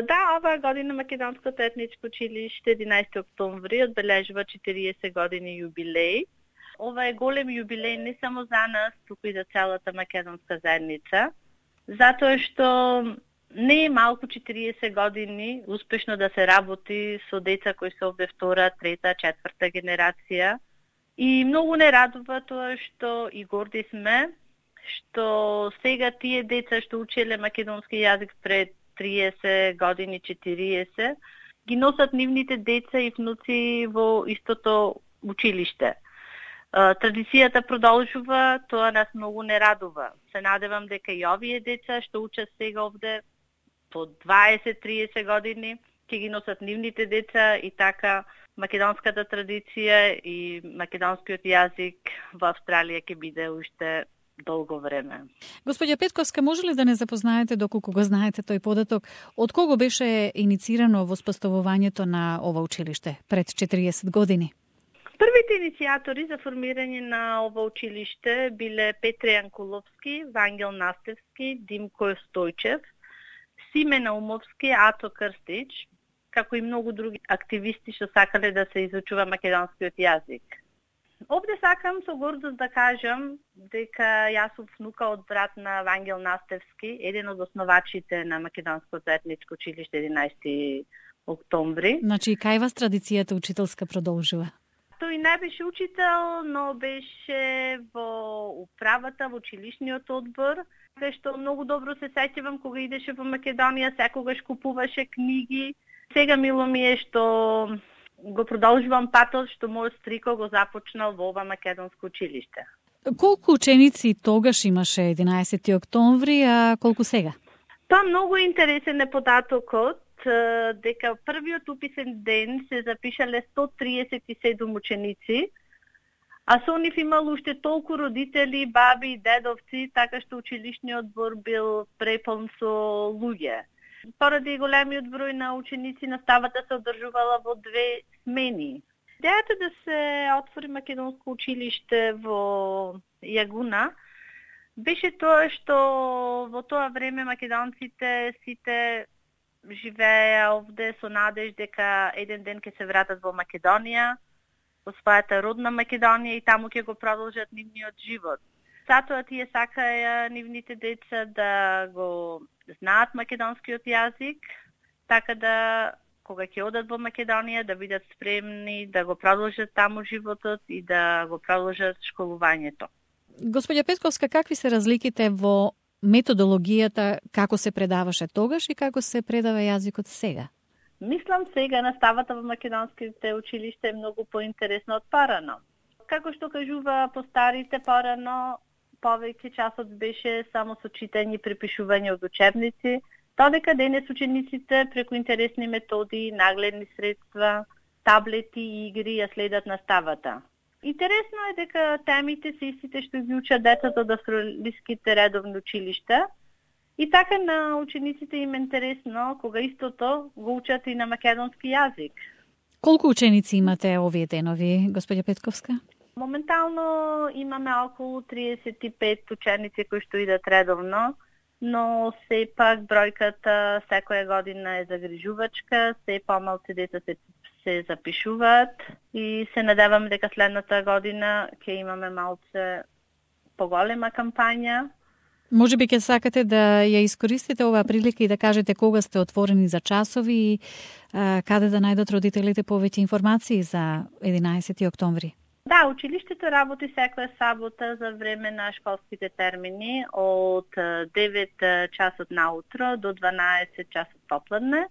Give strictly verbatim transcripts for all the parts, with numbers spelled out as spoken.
Да, оваа година Македонското етничко училиште единаесети октомври одбележува четириесет години јубилеј. Ова е голем јубилеј не само за нас, туку и за целата македонска заедница, затоа што не е малку четириесет години успешно да се работи со деца кои се овде втора, трета, четврта генерација. И многу не радува тоа што и горди сме, што сега тие деца што учеле македонски јазик пред триесет години, четириесет, ги носат нивните деца и внуци во истото училиште. Традицијата продолжува, тоа нас многу не радува. Се надевам дека и овие деца што учат сега овде по дваесет до триесет години ќе ги носат нивните деца и така македонската традиција и македонскиот јазик во Австралија ќе биде уште долго време. Господја Петковска, може ли да не запознаете, доколку го знаете тој податок, од кого беше иницирано воспоставувањето на ова училиште пред четириесет години? Првите иницијатори за формирање на ова училиште биле Петре Јанкуловски, Вангел Настевски, Димко Стојчев, Симе Наумовски, Ато Крстич, како и многу други активисти што сакале да се изучува македонскиот јазик. Овде сакам со гордост да кажам дека јас сум внука од брат на Вангел Настевски, еден од основачите на Македонското етничко училиште единаесети октомври. Значи и кај вас традицијата учителска продолжува? Тој не беше учител, но беше во управата, во училишниот одбор, кај што многу добро се сеќавам кога идеше во Македонија, секогаш купуваше книги. Сега мило ми е што го продолжувам патот што мојот стрико го започнал во ова македонско училиште. Колку ученици тогаш имаше единаесети октомври, а колку сега? Тоа многу интересен е податокот, дека првиот уписен ден се запишале сто триесет и седум ученици, а со нив имало уште толку родители, баби и дедовци, така што училишниот одбор бил преполн со луѓе. Поради големиот број на ученици, наставата се одржувала во две смени. Идејата да се отвори македонско училиште во Јагуна беше тоа што во тоа време македонците сите живееја овде со надеж дека еден ден ќе се вратат во Македонија, во својата родна Македонија и таму ќе го продолжат нивниот живот. Затоа тие сакаја нивните деца да го знаат македонскиот јазик, така да кога ќе одат во Македонија да бидат спремни да го продолжат таму животот и да го продолжат школувањето. Господја Петковска, какви се разликите во методологијата како се предаваше тогаш и како се предава јазикот сега? Мислам сега наставата во македонските училишта е многу поинтересно од порано. Како што кажува постарите порано, повеќе часот беше само со читање и препишување од учебници, додека денес учениците преку интересни методи, нагледни средства, таблети и игри ја следат наставата. Интересно е дека темите се истите што ги учат децата од австралиските редовни училишта и така на учениците им е интересно кога истото го учат и на македонски јазик. Колку ученици имате овие денови, господја Петковска? Моментално имаме околу триесет и пет ученици кои што идат редовно, но сепак бројката секоја година е загрижувачка, се помалку деца се, се запишуваат и се надевам дека следната година ќе имаме малце поголема кампања. Може би ќе сакате да ја искористите оваа прилика и да кажете кога сте отворени за часови и а, каде да најдат родителите повеќе информации за единаесети октомври. Да, училиштето работи секоја сабота за време на школските термини од девет часот наутро до дванаесет часот попладне.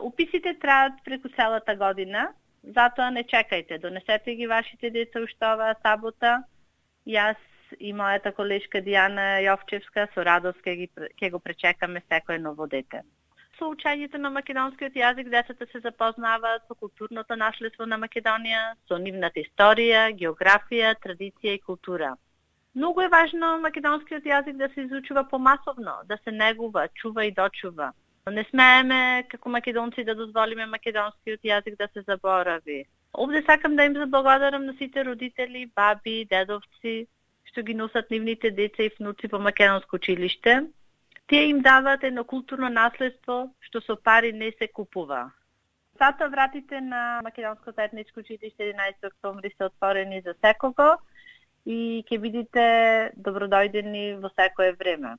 Уписите траат преку целата година, затоа не чекајте, донесете ги вашите деца уште оваа сабота. Јас и мојата колешка Дијана Јовчевска со радост ќе ги ќе го пречекаме секое ново дете. Со учењето на македонскиот јазик децата се запознаваат со културното наследство на Македонија, со нивната историја, географија, традиција и култура. Многу е важно македонскиот јазик да се изучува помасовно, да се негува, чува и дочува. Не смееме како македонци да дозволиме македонскиот јазик да се заборави. Овде сакам да им заблагодарам на сите родители, баби, дедовци, што ги носат нивните деца и внуци во македонско училиште. Тие им даваат едно културно наследство што со пари не се купува. Сата вратите на Македонско заедничко училиште единаесети октомври се отворени за секого и ќе бидите добродојдени во секое време.